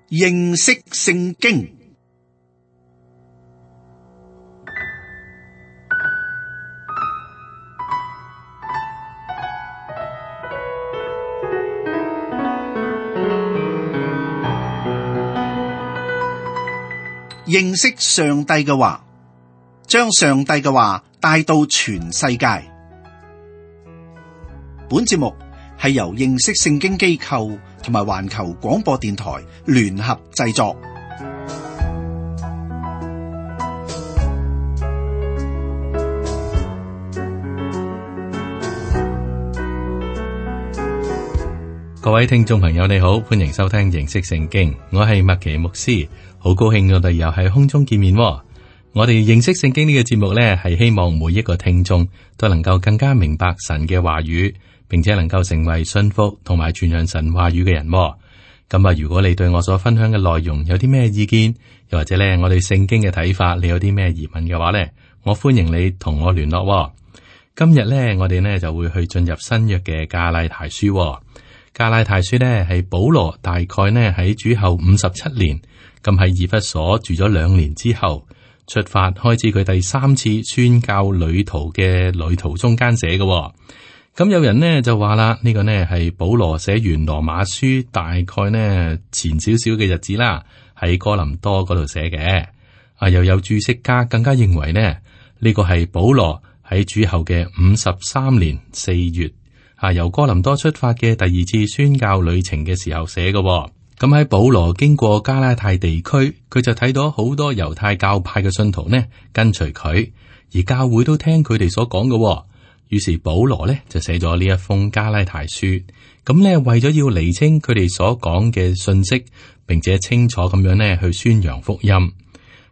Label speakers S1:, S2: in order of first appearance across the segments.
S1: 認識聖經。認識上帝嘅話，將上帝嘅話帶到全世界。本節目係由認識聖經機構同埋環球廣播電台聯合製作。
S2: 各位聽眾朋友你好，歡迎收聽認識聖經，我係麥奇牧師，好高興我哋又喺空中見面。我哋認識聖經呢個節目呢，係希望每一個聽眾都能夠更加明白神嘅話語，並且能夠成為信服同埋傳揚神話語嘅人。咁啊，如果你對我所分享嘅內容有啲咩意見，又或者呢我對聖經嘅睇法，你有啲咩疑問嘅話呢，我歡迎你同我聯絡。今日呢，我哋呢就會去進入新約嘅加拉太書。加拉太書呢係保羅大概呢喺主後57年，咁喺以弗所住咗2年之後，出發開始佢第3次宣教旅途嘅旅途中間寫嘅。咁有人呢就話啦，呢個呢係保羅寫完羅馬書大概呢前少少嘅日子啦，喺哥林多嗰度寫嘅。又有注釋家更加認為呢，呢個係保羅喺主後嘅53年4月。由哥林多出發嘅第2次宣教旅程嘅時候寫嘅。咁喺保羅經過加拉太地區，佢就睇到好多猶太教派嘅信徒呢跟隨佢，而教會都聽佢哋所講嘅。於是保羅呢就寫咗呢一封加拉太書。咁呢為咗要釐清佢哋所講嘅信息，並且清楚咁樣呢去宣揚福音。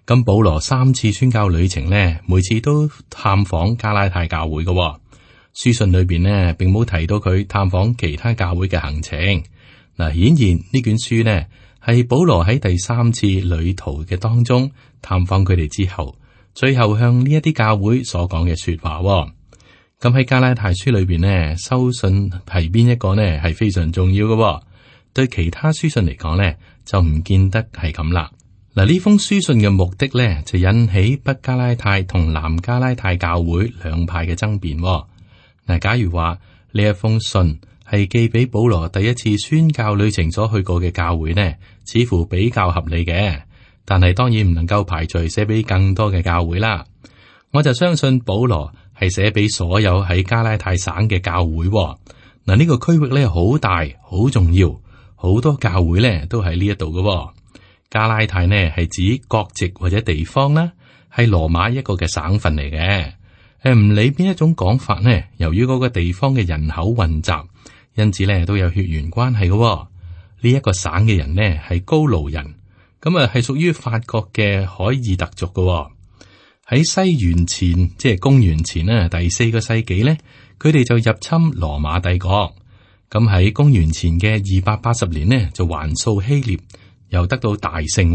S2: 咁保羅3次宣教旅程呢，每次都探訪加拉太教會嘅。書信裏邊呢，並冇提到佢探訪其他教會嘅行程。嗱，顯然呢卷書呢係保羅喺第3次旅途嘅當中探訪佢哋之後，最後向呢一啲教會所講嘅說話。咁喺加拉太書裏邊呢，收信係邊一個呢係非常重要嘅。對其他書信嚟講呢，就唔見得係咁啦。嗱，呢封書信嘅目的呢，就引起北加拉太同南加拉太教會兩派嘅爭辯。嗱，假如話呢一封信係寄俾保羅第1次宣教旅程所去過嘅教會呢，似乎比較合理嘅。但係當然唔能夠排除寫俾更多嘅教會啦。我就相信保羅係寫俾所有喺加拉太省嘅教會。嗱，呢個區域咧好大，好重要，好多教會咧都喺呢一度嘅。加拉太呢係指國籍或者地方啦，係羅馬一個嘅省份嚟嘅。唔理邊一種講法呢，由於嗰個地方嘅人口混雜，因此咧都有血緣關係嘅。呢一個省嘅人呢係高盧人，咁啊係屬於法國嘅凱爾特族嘅。喺西元前，即係公元前呢第4個世紀呢，佢哋就入侵羅馬帝國。咁喺公元前嘅280年呢，就還掃希臘，又得到大勝。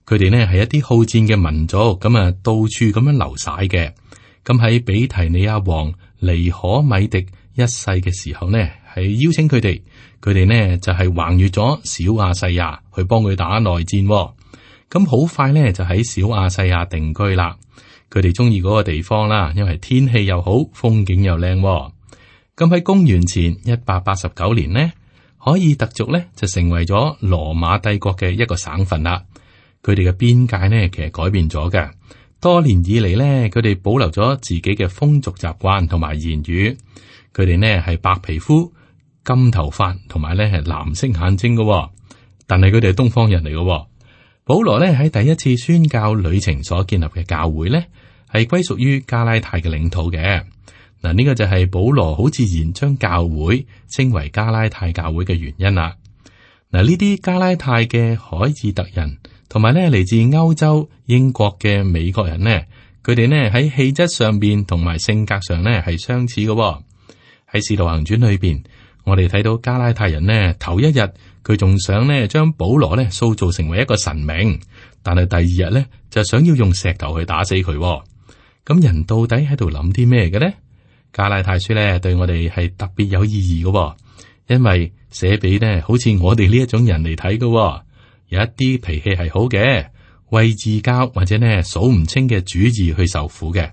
S2: 佢哋呢係一啲好戰嘅民族，咁啊到處咁樣流徙嘅。咁喺比提尼亞王尼可米迪一世嘅時候呢，係邀請佢哋呢就係橫越咗小亞細亞去幫佢打內戰。咁好快呢就喺小亞細亞定居啦。佢哋中意嗰個地方啦，因為天氣又好，風景又靚。咁喺公元前189年呢，凱爾特族呢就成為咗羅馬帝國嘅一個省份啦。佢哋嘅邊界呢其實改變咗嘅。多年以嚟呢，佢哋保留咗自己嘅風俗習慣同埋言語。佢哋呢係白皮膚、金頭髮，同埋呢係藍色眼睛嘅。但係佢哋係東方人嚟嘅。保羅呢喺第1次宣教旅程所建立嘅教會呢，係歸屬於加拉太嘅領土嘅。嗱，呢個就係保羅好自然將教會稱為加拉太教會嘅原因啦。嗱，呢啲加拉太嘅凱爾特人，同埋咧嚟自歐洲、英國嘅美國人呢，佢哋呢喺氣質上邊同埋性格上呢係相似嘅。喺使徒行傳裏邊，我哋睇到加拉太人呢頭一日佢仲想呢將保羅呢塑造成為一個神明，但係第2日呢就想要用石頭去打死佢。咁人到底喺度諗啲咩嘅呢？加拉太書呢對我哋係特別有意義嘅，因為寫俾呢好似我哋呢一種人嚟睇嘅。有一啲脾氣係好嘅，為自教或者呢數唔清嘅主義去受苦嘅。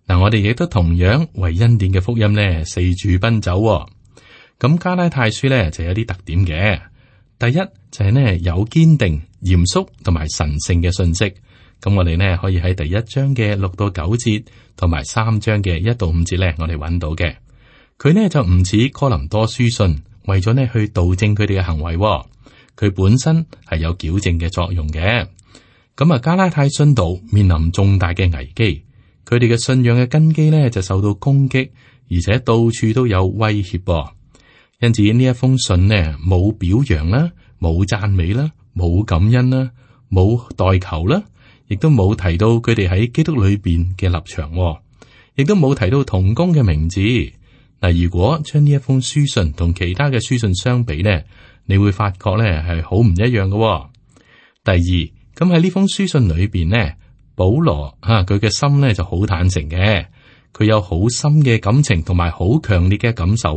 S2: 嗱，我哋亦都同樣為恩典嘅福音呢四處奔走。咁加拉太書呢就有啲特點嘅。第一就係呢有堅定、嚴肅同埋神聖嘅信息。咁我哋呢可以喺第一章嘅6到9節，同埋3章嘅1到5節呢，我哋揾到嘅。佢呢就唔似哥林多書信，為咗呢去導正佢哋嘅行為。佢本身係有矯正嘅作用嘅。咁啊，加拉太信徒面臨重大嘅危機，佢哋嘅信仰嘅根基呢就受到攻擊，而且到處都有威脅。因此呢一封信呢冇表揚啦，冇讚美啦，冇感恩啦，冇代求啦。亦都冇提到佢哋喺基督裏邊嘅立場，亦都冇提到同工嘅名字。嗱，如果將呢一封書信同其他嘅書信相比呢，你會發覺呢係好唔一樣嘅。第二，咁喺呢封書信裏邊呢，保羅佢嘅心呢就好坦誠嘅，佢有好深嘅感情同埋好強烈嘅感受。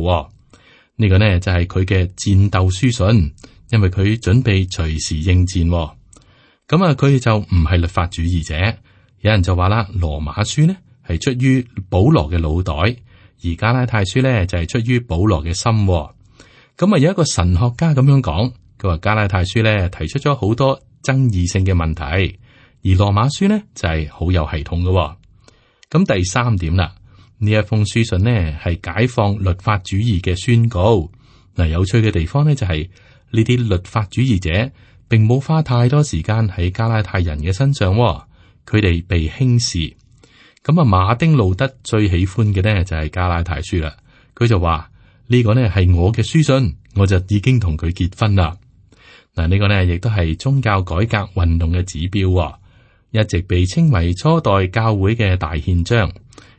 S2: 呢個呢就係佢嘅戰鬥書信，因為佢準備隨時應戰。咁啊，佢就唔係律法主義者。有人就話啦，羅馬書呢係出於保羅嘅腦袋，而加拉太書呢就係出於保羅嘅心。咁啊，有一個神學家咁樣講，佢話加拉太書呢提出咗好多爭議性嘅問題，而羅馬書呢就係好有系統嘅。咁第三點啦，呢一封書信呢係解放律法主義嘅宣告。嗱，有趣嘅地方呢就係呢啲律法主義者並冇花太多時間喺加拉太人嘅身上，佢哋被輕視。咁啊，馬丁路德最喜歡嘅呢就係加拉太書啦。佢就話呢個呢係我嘅書信，我就已經同佢結婚啦。嗱，呢個呢亦都係宗教改革運動嘅指標，一直被稱為初代教會嘅大憲章。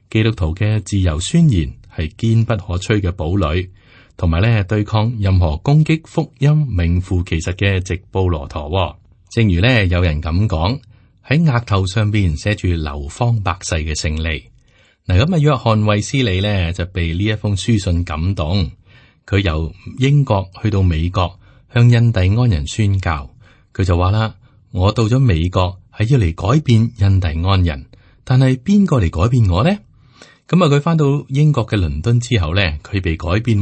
S2: 基督徒嘅自由宣言係堅不可摧嘅堡壘。同埋咧，對抗任何攻擊福音名副其實嘅直布羅陀。正如咧，有人咁講，喺額頭上邊寫住流芳百世嘅勝利。嗱，咁啊，約翰衛斯理咧就被呢一封書信感動，佢由英國去到美國向印第安人宣教。佢就話啦：我到咗美國係要嚟改變印第安人，但係邊個嚟改變我呢？咁啊，佢翻到英國嘅倫敦之後咧，佢被改變。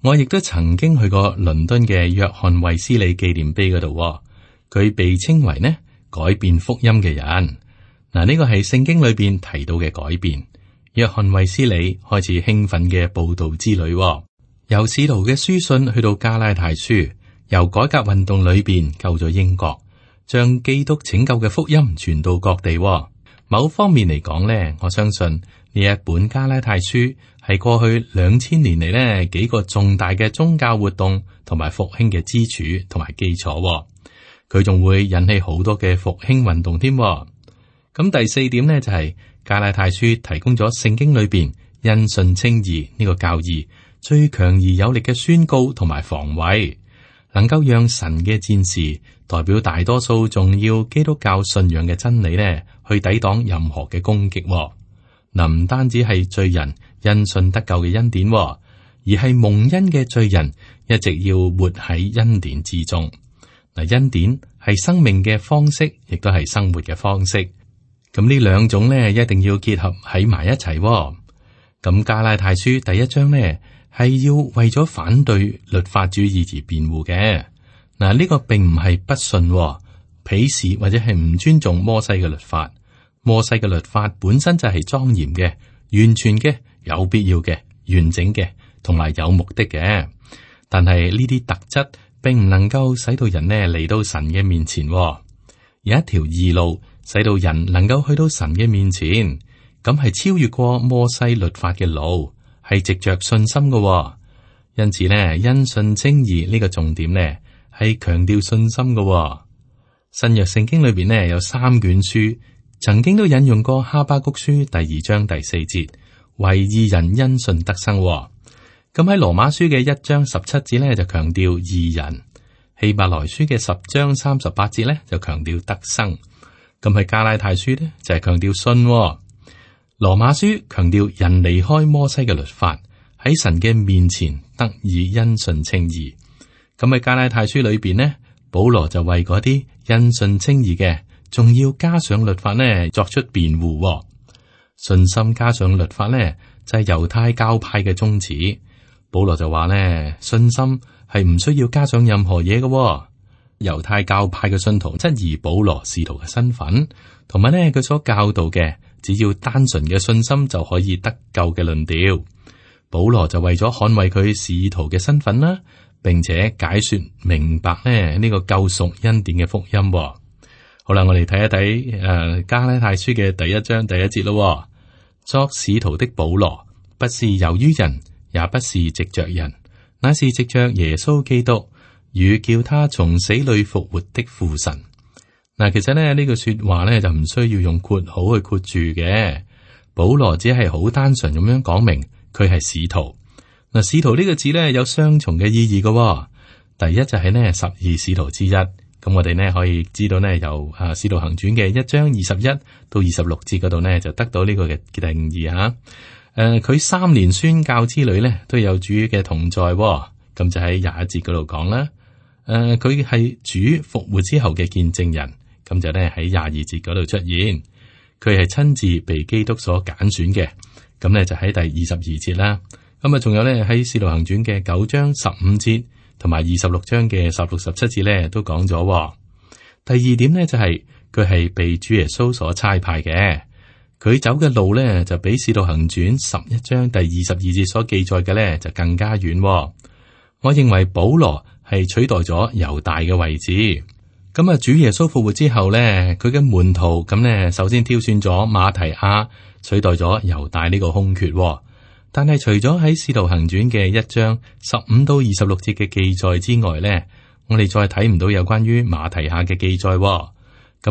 S2: 我亦都曾經去過倫敦嘅約翰衛斯理紀念碑嗰度，佢被稱為呢改變福音嘅人。嗱，呢個係聖經裏邊提到嘅改變。約翰衛斯理開始興奮嘅佈道之旅，由使徒嘅書信去到加拉太書，由改革運動裏邊救咗英國，將基督拯救嘅福音傳到各地。某方面嚟講呢，我相信呢一本加拉太書係過去2000年嚟呢幾個重大嘅宗教活動同埋復興嘅支柱同埋基礎。佢仲會引起好多嘅復興運動添。咁第四點呢，就係加拉太書提供咗聖經裏邊因信稱義呢個教義最強而有力嘅宣告同埋防衛，能夠讓神嘅戰士代表大多數重要基督教信仰嘅真理呢，去抵擋任何嘅攻擊。嗱，唔單止係罪人因信得救嘅恩典，而係蒙恩嘅罪人一直要活喺恩典之中。嗱，恩典係生命嘅方式，亦都係生活嘅方式。咁呢兩種呢，一定要結合喺埋一齊。咁加拉太書第一章呢，係要為咗反對律法主義而辯護嘅。嗱，呢個並唔係不信、鄙視或者係唔尊重摩西嘅律法。摩西嘅律法本身就係莊嚴嘅、完全嘅、有必要嘅、完整嘅，同埋有目的嘅。但係呢啲特質並唔能夠使到人呢嚟到神嘅面前。有一條義路，使到人能夠去到神嘅面前，咁係超越過摩西律法嘅路，係藉着信心嘅。因此呢，因信稱義呢個重點呢，係強調信心嘅。新約聖經裏邊呢，有3卷書，曾經都引用過哈巴谷書第2章第4節，為義人因信得生。咁喺羅馬書嘅1章17節呢，就強調義人；希伯來書嘅10章38節呢，就強調得生。咁喺加拉太書呢，就係強調信。羅馬書強調人離開摩西嘅律法，喺神嘅面前得以因信稱義。咁喺加拉太書裏邊呢，保羅就為嗰啲因信稱義嘅，仲要加上律法呢，作出辯護。信心加上律法呢，就係猶太教派嘅宗旨。保羅就話呢，信心係唔需要加上任何嘢嘅。猶太教派嘅信徒質疑保羅使徒嘅身份，同埋呢佢所教導嘅，只要單純嘅信心就可以得救嘅論調。保羅就為咗捍衛佢使徒嘅身份啦，並且解說明白呢個救贖恩典嘅福音。好啦，我哋睇一睇加拉太書嘅第一章第一節咯。作使徒的保羅，不是由於人，也不是藉着人，乃是藉着耶穌基督與叫他從死裏復活的父神。嗱，其實呢句說話呢，就唔需要用括號去括住嘅。保羅只係好單純咁樣講明佢係使徒。嗱，使徒呢個字呢，有雙重嘅意義嘅。第一就係呢12使徒之一。咁我哋呢可以知道呢，由使徒行傳嘅1章21到26節嗰度呢，就得到呢個嘅定義吓。佢3年宣教之旅呢，都有主嘅同在。咁就喺21節嗰度講啦。佢係主復活之後嘅見證人。咁就呢喺22節嗰度出現。佢係親自被基督所揀選嘅。咁呢就喺第22節啦。咁啊，仲有呢喺使徒行傳嘅9章15節。同埋26章嘅16、17節咧，都講咗。第二點呢，就係佢係被主耶穌所差派嘅，佢走嘅路呢，就比使徒行傳11章第22節所記載嘅呢，就更加遠。我認為保羅係取代咗猶大嘅位置。咁啊，主耶穌復活之後呢，佢嘅門徒咁呢，首先挑選咗馬提亞取代咗猶大呢個空缺。但係除咗喺使徒行傳嘅1章15到26節嘅記載之外呢，我哋再睇唔到有關於馬提亞嘅記載。咁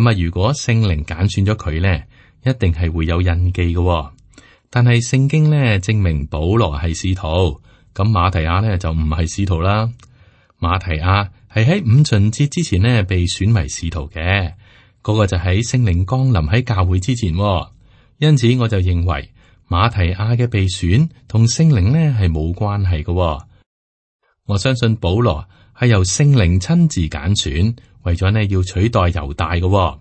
S2: 啊，如果聖靈揀選咗佢呢，一定係會有印記嘅。但係聖經呢證明保羅係使徒，咁馬提亞呢就唔係使徒啦。馬提亞係喺五旬節之前呢被選為使徒嘅，嗰個就喺聖靈降臨喺教會之前。因此我就認為。馬提亞嘅被選同聖靈呢係冇關係嘅。我相信保羅係由聖靈親自揀選，為咗呢要取代猶大嘅。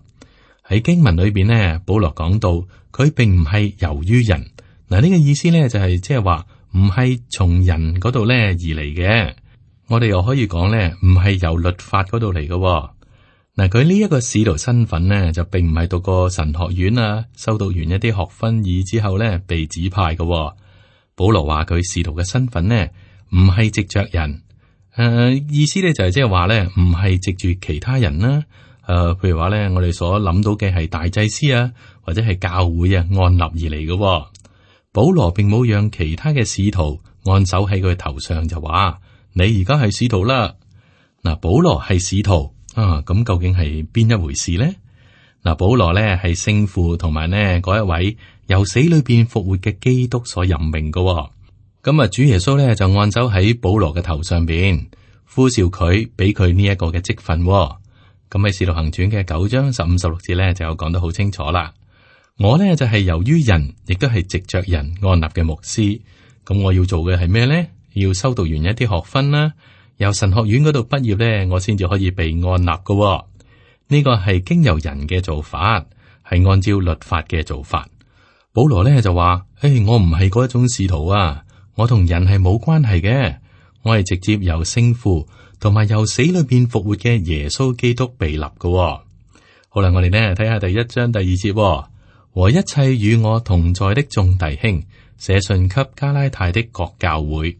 S2: 喺經文裏邊呢，保羅講到佢並唔係由於人。嗱，呢個意思呢就係即係話唔係從人嗰度呢而嚟嘅。我哋又可以講呢唔係由律法嗰度嚟嘅。嗱，佢呢一個使徒身份呢，就並唔係讀過神學院啊，修讀完一啲學分以之後呢，被指派嘅。保羅話佢使徒嘅身份呢，唔係藉着人，意思呢就係即係話呢，唔係藉住其他人啦。譬如話呢，我哋所諗到嘅係大祭司啊，或者係教會啊按立而嚟嘅。保羅並冇讓其他嘅使徒按手喺佢頭上就話你而家係使徒啦。嗱，保羅係使徒。咁究竟係邊一回事呢？嗱，保羅呢係聖父同埋呢嗰一位由死裏邊復活嘅基督所任命嘅。咁啊，主耶穌呢就按手喺保羅嘅頭上邊，呼召佢，俾佢呢一個嘅職分。咁喺使徒行傳嘅9章15、16節呢就有講得好清楚啦。我呢就係由於人，亦都係藉着人按立嘅牧師。咁我要做嘅係咩呢？要修讀完一啲學分啦。由神學院嗰度畢業呢，我先至可以被按立嘅。呢個係經由人嘅做法，係按照律法嘅做法。保羅呢就話：我唔係嗰一種使徒啊，我同人係冇關係嘅，我係直接由聖父同埋由死裏邊復活嘅耶穌基督被立嘅。好啦，我哋呢睇下第1章第2節，和一切與我同在的眾弟兄，寫信給加拉太的各教會。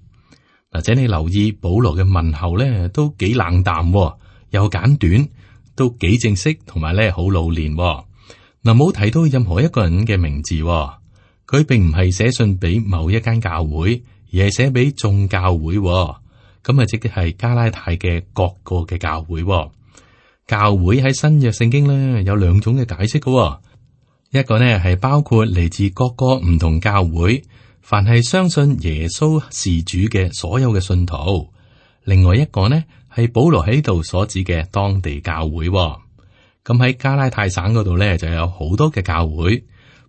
S2: 或者你留意保羅嘅問候咧，都幾冷淡，又簡短，都幾正式，同埋咧好老練。嗱，冇提到任何一個人嘅名字，佢並唔係寫信俾某一間教會，而係寫俾眾教會。咁啊，即係加拉太嘅各個嘅教會。教會喺新約聖經咧有2種嘅解釋嘅，一個呢係包括嚟自各個唔同教會。凡係相信耶穌是主嘅所有嘅信徒，另外一個呢係保羅喺度所指嘅當地教會。咁喺加拉太省嗰度呢就有好多嘅教會，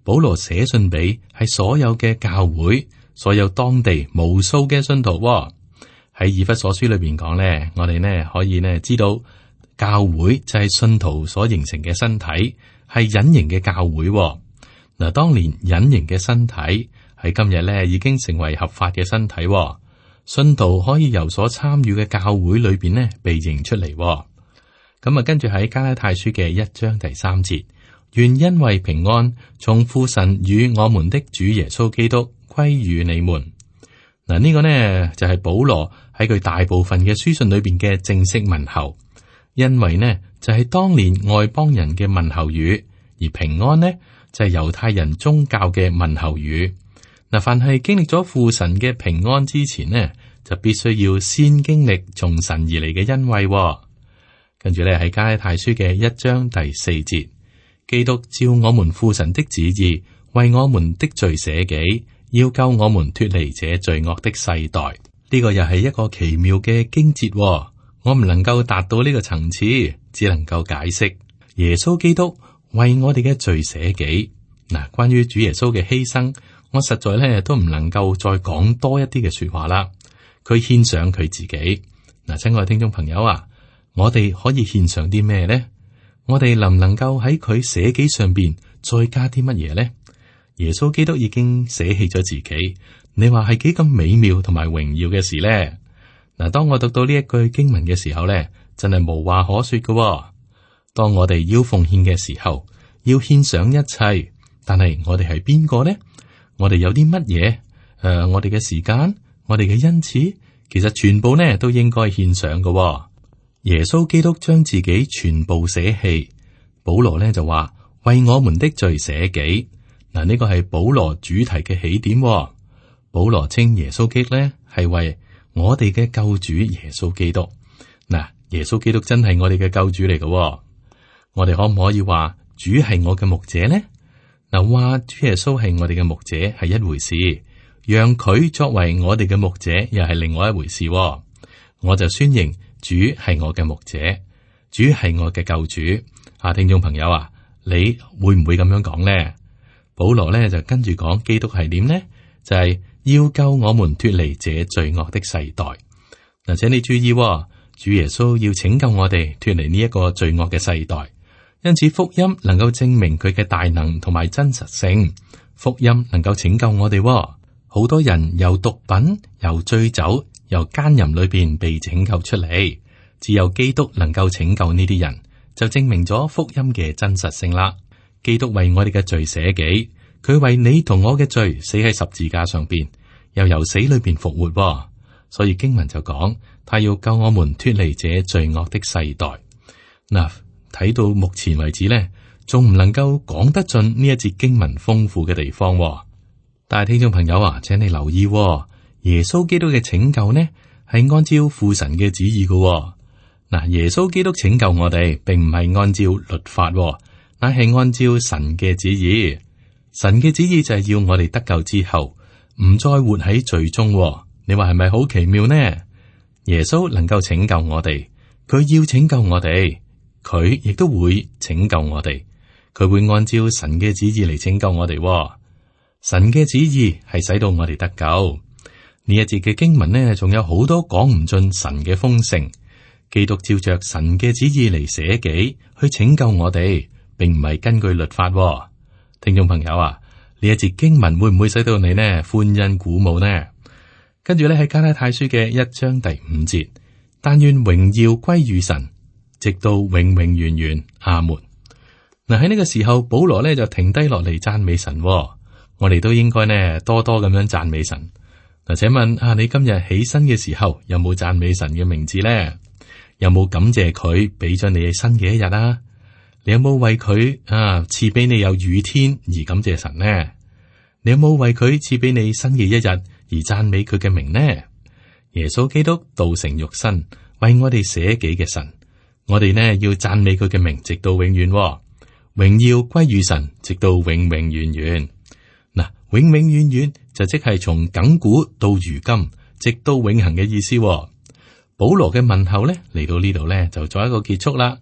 S2: 保羅寫信俾係所有嘅教會，所有當地無數嘅信徒。喺以弗所書裏邊講呢，我哋呢可以呢知道教會就係信徒所形成嘅身體，係隱形嘅教會嗱。當年隱形嘅身體喺今日咧已經成為合法嘅身體，信徒可以由所參與嘅教會裏邊呢被認出嚟。咁啊，跟住喺加拉太書嘅1章第3節，願因為平安從父神與我們的主耶穌基督歸於你們。嗱，呢個呢就係保羅喺佢大部分嘅書信裏邊嘅正式問候，因為呢就係當年外邦人嘅問候語，而平安呢就係猶太人宗教嘅問候語。嗱，凡係經歷咗父神嘅平安之前呢，就必須要先經歷從神而嚟嘅恩惠。跟住咧喺加拉太書嘅1章第4節，基督照我們父神的旨意，為我們的罪捨己，要救我們脫離這罪惡的世代。呢個又係一個奇妙嘅經節，我唔能夠達到呢個層次，只能夠解釋耶穌基督為我哋嘅罪捨己。嗱，關於主耶穌嘅犧牲，我實在咧都唔能夠再講多一啲嘅說話啦。佢獻上佢自己。嗱，親愛嘅聽眾朋友啊，我哋可以獻上啲咩呢？我哋能唔能夠喺佢捨己上邊再加啲乜嘢呢？耶穌基督已經捨棄咗自己，你話係幾咁美妙同埋榮耀嘅事呢？嗱，當我讀到呢一句經文嘅時候咧，真係無話可說嘅。當我哋要奉獻嘅時候，要獻上一切，但係我哋係邊個呢？我哋有啲乜嘢？我哋嘅時間，我哋嘅恩賜，其實全部呢都應該獻上嘅。耶穌基督將自己全部捨棄，保羅呢就話為我們的罪捨己。嗱，呢個係保羅主題嘅起點。保羅稱耶穌基督呢係為我哋嘅救主耶穌基督。嗱，耶穌基督真係我哋嘅救主嚟嘅。我哋可唔可以話主係我嘅牧者呢？嗱，話主耶穌係我哋嘅牧者係一回事，讓佢作為我哋嘅牧者又係另外一回事。我就宣認主係我嘅牧者，主係我嘅救主。聽眾朋友啊，你會唔會咁樣講呢？保羅呢就跟住講基督係點呢？就係要救我們脫離這罪惡的世代。嗱，請你注意，主耶穌要拯救我哋脫離呢一個罪惡嘅世代。因此福音能夠證明佢嘅大能同埋真實性，福音能夠拯救我哋。好多人由毒品、由醉酒、由奸淫裏邊被拯救出嚟，只有基督能夠拯救呢啲人，就證明咗福音嘅真實性啦。基督為我哋嘅罪捨己，佢為你同我嘅罪死喺十字架上邊，又由死裏邊復活。所以經文就講，他要救我們脫離這罪惡的世代。嗱，睇到目前為止呢，仲唔能夠講得盡呢一節經文豐富嘅地方。但係聽眾朋友啊，請你留意，耶穌基督嘅拯救呢係按照父神嘅旨意嘅。嗱，耶穌基督拯救我哋，並唔係按照律法，乃係按照神嘅旨意。神嘅旨意就係要我哋得救之後，唔再活喺罪中。你話係咪好奇妙呢？耶穌能夠拯救我哋，佢要拯救我哋，佢亦都會拯救我哋。佢會按照神嘅旨意嚟拯救我哋。神嘅旨意係使到我哋得救。呢一節嘅經文呢，仲有好多講唔盡神嘅豐盛。基督照着神嘅旨意嚟捨己去拯救我哋，並唔係根據律法。聽眾朋友啊，呢一節經文會唔會使到你呢歡欣鼓舞呢？跟住咧喺加拉太書嘅1章第5節，但願榮耀歸於神，直到永永遠遠。阿門。嗱，喺呢個時候，保羅呢就停低落嚟讚美神。我哋都應該呢多多咁樣讚美神。嗱，請問你今日起身嘅時候有冇讚美神嘅名字呢？有冇感謝佢俾咗你新嘅一日啊？你有冇為佢賜俾你有雨天而感謝神呢？你有冇為佢賜俾你新嘅一日而讚美佢嘅名呢？耶穌基督道成肉身，為我哋捨己嘅神，我哋呢要讚美佢嘅名，直到永遠。榮耀歸於神，直到永永遠遠。嗱，永永遠遠就即係從亙古到如今，直到永恆嘅意思。保羅嘅問候呢嚟到呢度呢就做一個結束啦。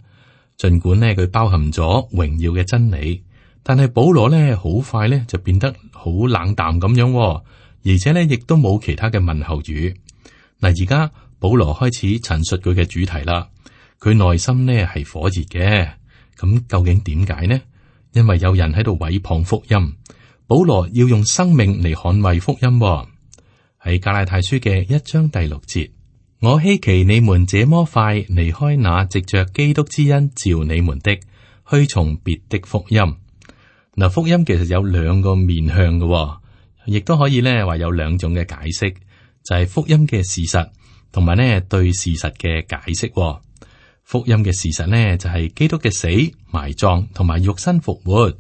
S2: 盡管呢佢包含咗榮耀嘅真理，但係保羅呢好快呢就變得好冷淡咁樣，而且呢亦都冇其他嘅問候語。嗱，而家保羅開始陳述佢嘅主題啦。佢內心呢係火熱嘅。咁究竟點解呢？因為有人喺度毀謗福音，保羅要用生命嚟捍衛福音喎。喺加拉太書嘅1章第6節，我希奇你們這麼快離開那藉着基督之恩召你們的，去從別的福音。嗱，福音其實有兩個面向嘅喎，亦都可以咧話有兩種嘅解釋，就係福音嘅事實，同埋咧對事實嘅解釋喎。福音嘅事實呢，就係基督嘅死、埋葬同埋肉身復活。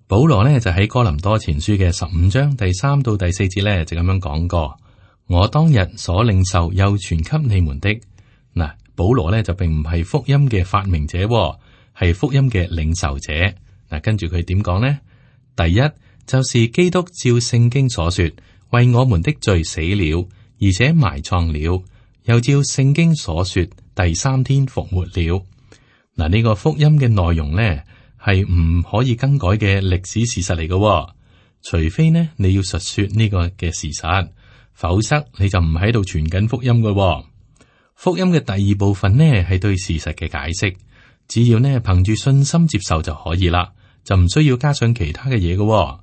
S2: 保羅呢，就喺哥林多前書嘅15章第3到第4節呢，就咁樣講過：我當日所領受又傳給你們的。嗱，保羅呢，就並唔係福音嘅發明者，係福音嘅領受者。嗱，跟住佢點講呢？第一就是基督照聖經所說，為我們的罪死了，而且埋葬了，又照聖經所說，第3天復活了。嗱，呢個福音嘅內容呢，係唔可以更改嘅歷史事實嚟嘅，除非呢你要述說呢個嘅事實，否則你就唔喺度傳緊福音嘅。福音嘅第二部分呢，係對事實嘅解釋，只要呢憑住信心接受就可以啦，就唔需要加上其他嘅嘢嘅。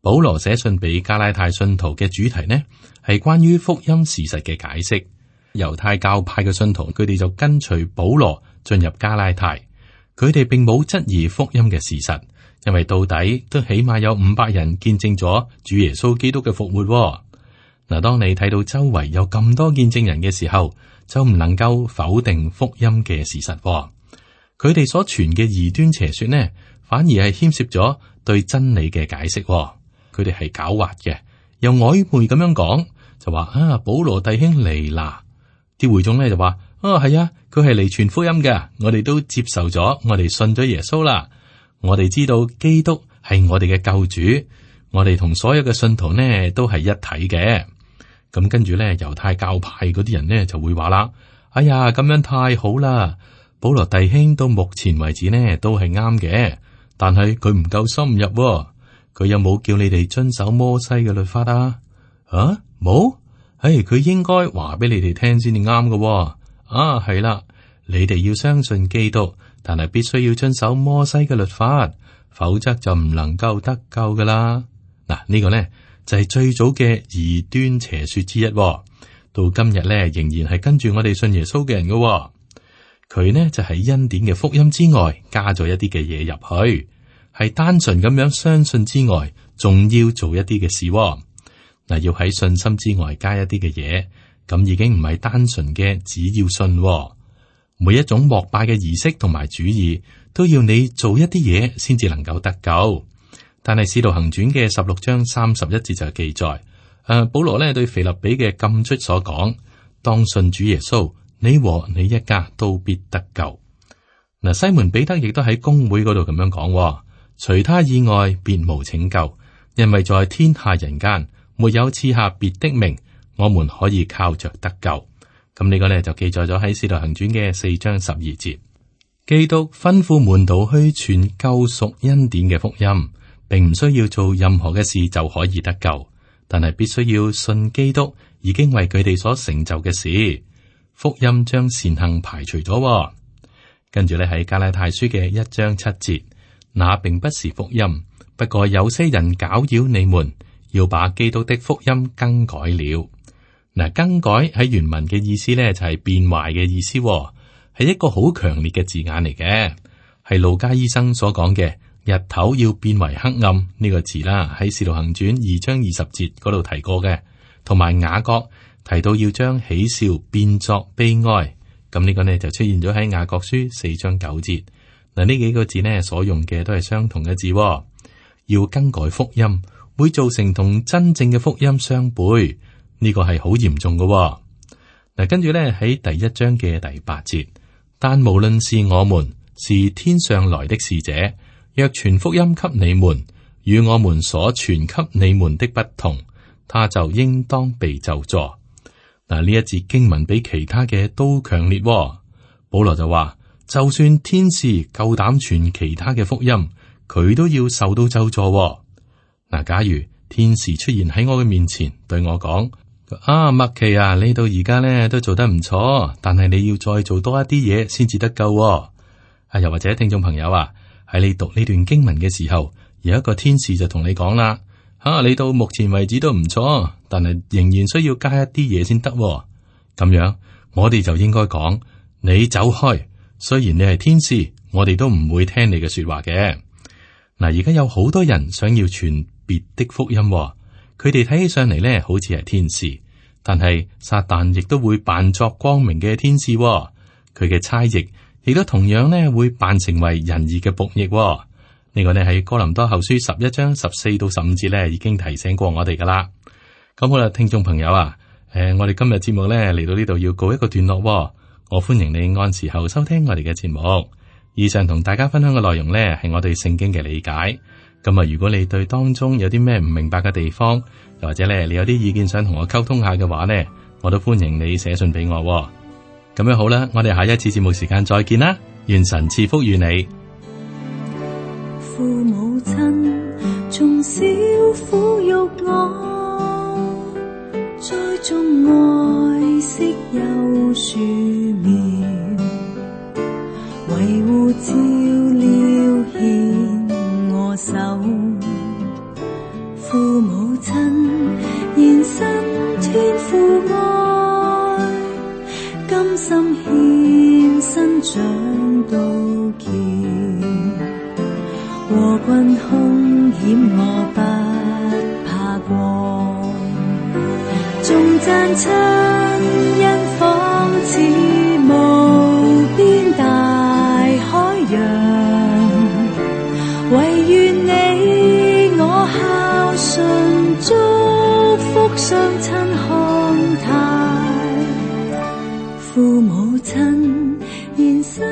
S2: 保羅寫信俾加拉太信徒嘅主題呢，係關於福音事實嘅解釋。猶太教派嘅信徒，佢哋就跟隨保羅進入加拉太，佢哋並冇質疑福音嘅事實，因為到底都起碼有500人見證咗主耶穌基督嘅復活。嗱，當你睇到周圍有咁多見證人嘅時候，就唔能夠否定福音嘅事實。佢哋所傳嘅異端邪說呢，反而係牽涉咗對真理嘅解釋。佢哋係狡猾嘅，又曖昧咁樣講，就話啊，保羅弟兄嚟啦。啲會眾咧就話：係啊，佢係嚟傳福音嘅，我哋都接受咗，我哋信咗耶穌啦。我哋知道基督係我哋嘅救主，我哋同所有嘅信徒呢都係一體嘅。咁跟住咧，猶太教派嗰啲人呢就會話啦：哎呀，咁樣太好啦！保羅弟兄到目前為止呢都係啱嘅，但係佢唔夠深入喎。佢有冇叫你哋遵守摩西嘅律法啊？冇。佢應該話俾你哋聽先至啱嘅。係啦，你哋要相信基督，但係必須要遵守摩西嘅律法，否則就唔能夠得救噶啦。嗱，呢個呢就係最早嘅異端邪說之一，到今日呢仍然係跟住我哋信耶穌嘅人嘅。佢呢就喺恩典嘅福音之外加咗一啲嘅嘢入去，係單純咁樣相信之外，仲要做一啲嘅事。嗱，要喺信心之外加一啲嘅嘢，咁已經唔係單純嘅只要信。每一種膜拜嘅儀式同埋主義，都要你做一啲嘢先至能夠得救。但係《使徒行傳》嘅16章31節就記載，保羅咧對腓立比嘅禁卒所講：當信主耶穌，你和你一家都必得救。嗱，西門彼得亦都喺公會嗰度咁樣講：除他以外，別無拯救，因為在天下人間，沒有賜下別的名，我們可以靠着得救。咁呢個呢，就記載咗喺《使徒行傳》嘅4章12節。基督吩咐門徒去傳救贖恩典嘅福音，並唔需要做任何嘅事就可以得救，但係必須要信基督已經為佢哋所成就嘅事。福音將善行排除咗。跟住呢，喺加拉太書嘅1章7節，那並不是福音，不過有些人攪擾你們，要把基督的福音更改了。嗱，更改喺原文嘅意思呢，就係變壞嘅意思，係一個好強烈嘅字眼嚟嘅，係路加醫生所講嘅日頭要變為黑暗呢個字啦，喺使徒行傳2章20節嗰度提過嘅，同埋雅各提到要將喜笑變作悲哀，咁呢個呢就出現咗喺雅各書4章9節。嗱，呢幾個字呢所用嘅都係相同嘅字，要更改福音會造成同真正嘅福音相悖。呢個係好嚴重嘅。嗱，跟住咧喺第1章嘅第8節，但無論是我們是天上來的使者，若傳福音給你們，與我們所傳給你們的不同，他就應當被咒詛。嗱，呢一節經文比其他嘅都強烈。保羅就話，就算天使夠膽傳其他嘅福音，佢都要受到咒詛。嗱，假如天使出現喺我嘅面前，對我講：啊，麥琪啊，你到而家咧都做得唔錯，但係你要再做多一啲嘢先至得夠。啊，又或者聽眾朋友啊，喺你讀呢段經文嘅時候，有一個天使就同你講啦，你到目前為止都唔錯，但係仍然需要加一啲嘢先得。咁樣，我哋就應該講，你走開。雖然你係天使，我哋都唔會聽你嘅說話嘅。嗱，而家有好多人想要傳別的福音，佢哋睇起上嚟咧，好似係天使，但係撒旦亦都會扮作光明嘅天使，佢嘅差役亦都同樣咧會扮成為仁義嘅僕役。呢個呢喺哥林多後書11章14到15節咧已經提醒過我哋噶啦。咁好啦，聽眾朋友啊，我哋今日節目咧嚟到呢度要告一個段落，我歡迎你按時候收聽我哋嘅節目。以上同大家分享嘅內容呢，係我對聖經嘅理解。咁啊，如果你對當中有啲咩唔明白嘅地方，又或者咧你有啲意見想同我溝通下嘅話呢，我都歡迎你寫信俾我。咁樣好啦，我哋下一次節目時間再見啦，願神賜福於你。
S3: 父母親從小撫育我，栽種愛惜有樹苗，維護照料獻我手。父母親延伸天父愛，甘心獻身長到橋，和困凶險我不怕過，頌讚親恩仿似無邊大海洋，唯願你我孝順祝福雙親康泰，父母親延伸